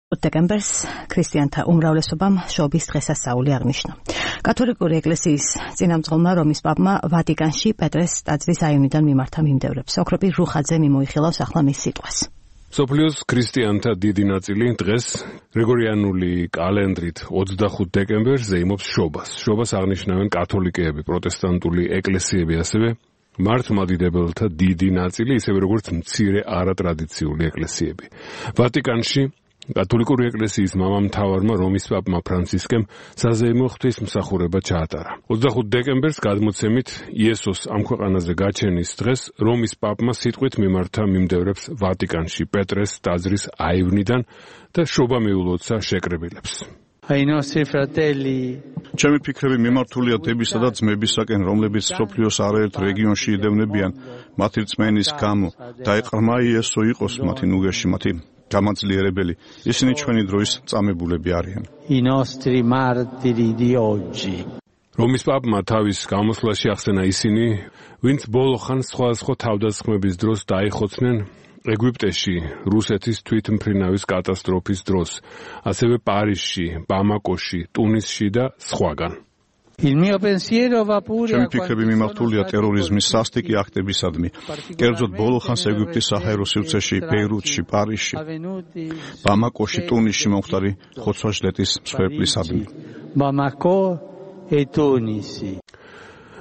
დეკემბერს ქრისტიანთა უმრავლესობამ შობის დღესასწაული აღნიშნა. კათოლიკური ეკლესიის წინამძღოლმა რომის პაპმა ვატიკანში პეტრეს ტაძრის აივნიდან მიმართა მიმდევრებს. ოქროპი რუხაძე მიმოიხილავს ახლა მის სიტყვას. მსოფლიოს ქრისტიანთა დიდი ნაწილი დღეს გრიგორიანული კალენდრით 25 დეკემბერს ზეიმობს შობას. შობას აღნიშნავენ კათოლიკეები, პროტესტანტული ეკლესიები, ასევე მართლმადიდებელთა დიდი ნაწილი, ისევე როგორც მცირე არატრადიციული ეკლესიები. ვატიკანში კათოლიკური ეკლესიის მამამთავარმა რომის პაპმა ფრანცისკემ საზეიმო ღვთისმსახურება ჩაატარა. 25 დეკემბერს გადმოცემით იესოს ამ ქვეყანაზე გაჩენის დღეს რომის პაპმა სიტყვით მიმართა მიმდევრებს ვატიკანში პეტრეს ტაძრის აივნიდან და შობა მიულოცა შეკრებილებს. ჩემი ფიქრები მიმართულია დებისა და ძმებისაკენ, რომლებიც მსოფლიოს არაერთ რეგიონში იდევნებიან მათი რწმენის გამო და ეყრმა იესო იყოს მათი ნუგეში, მათი გამაძლიერებელი. ისინი ჩვენი დროის წამებულები არიან. რომის პაპმა თავის გამოსვლაში ახსენა ისინი, ვინც ბოლო ხანს სხვადასხვა თავდასხმების დროს დაიხოცნენ ეგვიპტეში, რუსეთის თვითმფრინავის კატასტროფის დროს, ასევე პარიზში, ბამაკოში, ტუნისში და სხვაგან. ჩემი ფიქრები მიმართულია ტერორიზმის სასტიკი აქტებისადმი, კერძოდ ბოლო ხანს ეგვიპტის საჰაერო სივრცეში, ბეირუთში, პარიზში, ბამაკოში, ტუნისში მომხდარი ხოცვა-ჟლეტის მსხვერპლისადმი.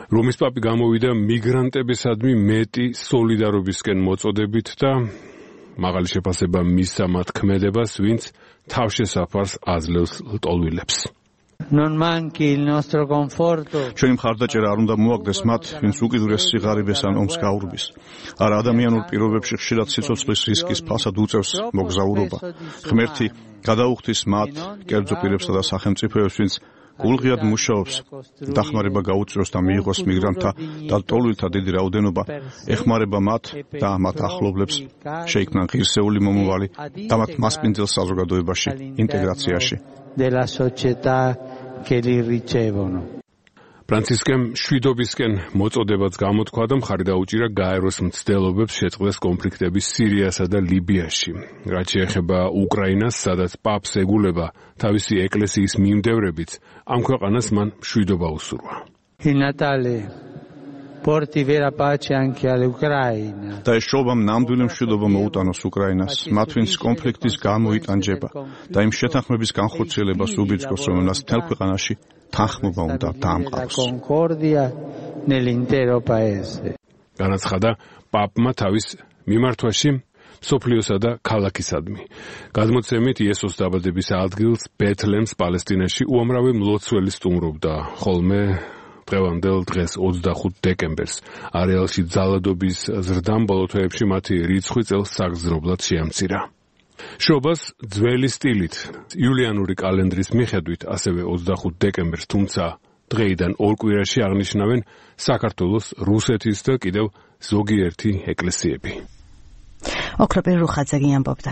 რომის პაპი გამოვიდა მიგრანტებისადმი მეტი სოლიდარობისკენ მოწოდებით და მაღალი შეფასება მისცა მათ ქმედებას, ვინც თავშესაფარს აძლევს ლტოლვილებს. ჩვენი მხარდაჭერა არ უნდა მოაგდეს მათ, ვინც უკიდურეს სიღარიბეს ან ომს გაურბის. არა, ადამიანურ პირობებში ხშირად სიცოცხლის რისკის ფასად უწევს მოგზაურობა. ღმერთი გადაუხდის მათ, კერძო პირებსა და სახელმწიფოებს, ვინც გულღიად მუშაობს, დახმარება გაუწიოს და მიიღოს მიგრანტთა და ლტოლვილთა დიდი რაოდენობა, ეხმარება მათ და მათ ახლობლებს, შეიქმნან ღირსეული მომავალი და მათ მასპინძელ საზოგადოებაში, ინტეგრაციაში. ფრანცისკემ შვიდობისკენ მოწოდებაც გამოთქვა და მხარი დაუჭირა გაეროს მცდელობებს შეწყდეს კონფლიქტები სირიასა და ლიბიაში. რაც შეეხება უკრაინას, სადაც პაპს ეგულება თავისი ეკლესიის მიმდევრებიც, ამ ქვეყანას მან მშვიდობა უსურვა. და ეს შობამ ნამდვილი მშვიდობა მოუტანოს უკრაინას, მათ ვინც კონფლიქტის გამო იტანჯება და იმ შეთანხმების განხორციელებას უბიძგოს, რომელსაც მთელ ქვეყანაში თანხმობა უნდა დაამყაროს. განაცხადა პაპმა თავის მიმართვაში მსოფლიოსა და ქალაქისადმი. გადმოცემით იესოს დაბადების ადგილს ბეთლემს პალესტინაში უამრავი მლოცველი სტუმრობდა, ხოლმე დღევანდელ დღეს 25 დეკემბერს არეალში ძალადობის ზრდამ ბოლო თვეებში მათი რიცხვი წელს საგრძნობლად შეამცირა. შობას ძველი სტილით, იულიანური კალენდრის მიხედვით, ასევე 25 დეკემბერს, თუმცა დღეიდან ორ კვირაში აღნიშნავენ საქართველოს, რუსეთის და კიდევ ზოგიერთი ეკლესიები. ოქროპი რუხაძე ამბობდა.